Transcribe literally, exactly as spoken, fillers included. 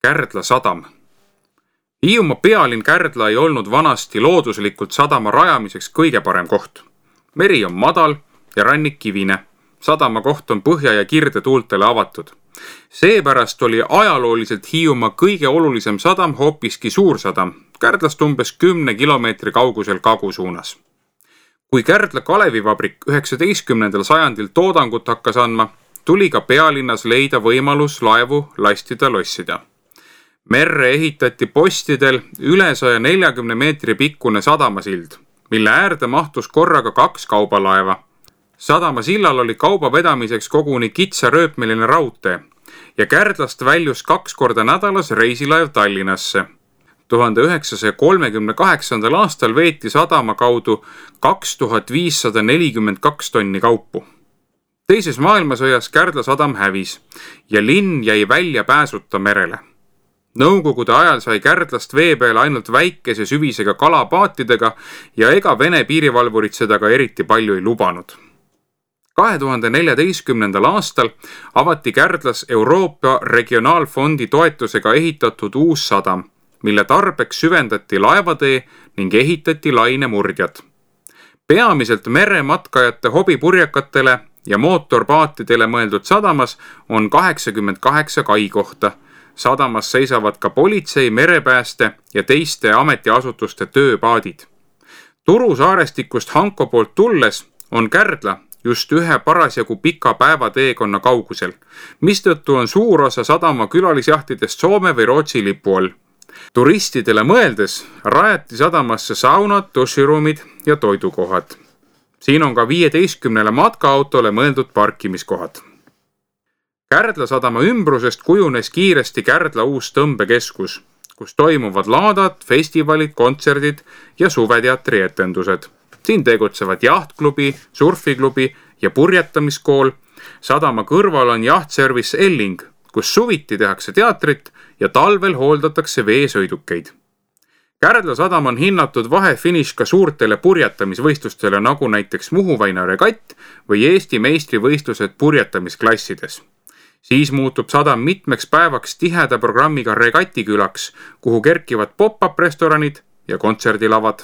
Kärdla sadam. Hiiumaa pealinn Kärdla ei olnud vanasti looduslikult sadama rajamiseks kõige parem koht. Meri on madal ja rannik kivine. Sadama koht on põhja ja kirde tuultele avatud. Seepärast oli ajalooliselt Hiiumaa kõige olulisem sadam hoopiski Suursadam, Kärdlast umbes kümne kilomeetri kaugusel kagu suunas. Kui Kärdla kalevivabrik üheksateistkümnendal sajandil toodangut hakkas andma, tuli ka pealinnas leida võimalus laevu lastida lossida. Merre ehitati postidel üle saja neljakümne meetri pikkune sadamasild, mille äärde mahtus korraga kaks kaubalaeva. Sadamasillal oli kauba vedamiseks koguni kitsarööpmeline raudtee ja Kärdlast väljus kaks korda nädalas reisilaev Tallinnasse. tuhande üheksasaja kolmekümne kaheksandal aastal veeti sadama kaudu kaks tuhat viissada nelikümmend kaks tonni kaupu. Teises maailmasõjas Kärdla sadam hävis ja linn jäi välja pääsuta merele. Nõukogude ajal sai Kärdlast vee peale ainult väikese süvisega kalapaatidega ja ega Vene piirivalvurid seda ka eriti palju ei lubanud. kahe tuhande neljateistkümnendal aastal avati Kärdlas Euroopa Regionaalfondi toetusega ehitatud uus sadam, mille tarbeks süvendati laevatee ning ehitati lainemurdjad. Peamiselt merematkajate hobipurjakatele ja mootorpaatidele mõeldud sadamas on kaheksakümmend kaheksa kaikohta. Sadamas seisavad ka politsei, merepääste ja teiste ametiasutuste tööpaadid. Turusaarestikust Hanko poolt tulles on Kärdla just ühe parasjagu pika päevateekonna kaugusel, mistõttu on suur osa sadama külalisjahtidest Soome või Rootsi lipu all. Turistidele mõeldes rajati sadamasse saunad, duširuumid ja toidukohad. Siin on ka viieteistkümnele matkaautole mõeldud parkimiskohad. Kärdla sadama ümbrusest kujunes kiiresti Kärdla uus tõmbekeskus, kus toimuvad laadad, festivalid, kontserdid ja suveteatri etendused. Siin tegutsevad jahtklubi, surfiklubi ja purjetamiskool. Sadama kõrval on jahtservice Elling, kus suviti tehakse teatrit ja talvel hooldatakse veesõidukeid. Kärdla sadam on hinnatud vahefiniš ka suurtele purjetamisvõistlustele, nagu näiteks Muhuväina regatt või Eesti meistrivõistlused purjetamisklassides. Siis muutub sadam mitmeks päevaks tiheda programmiga regatikülaks, kuhu kerkivad pop-up restoranid ja kontserdilavad.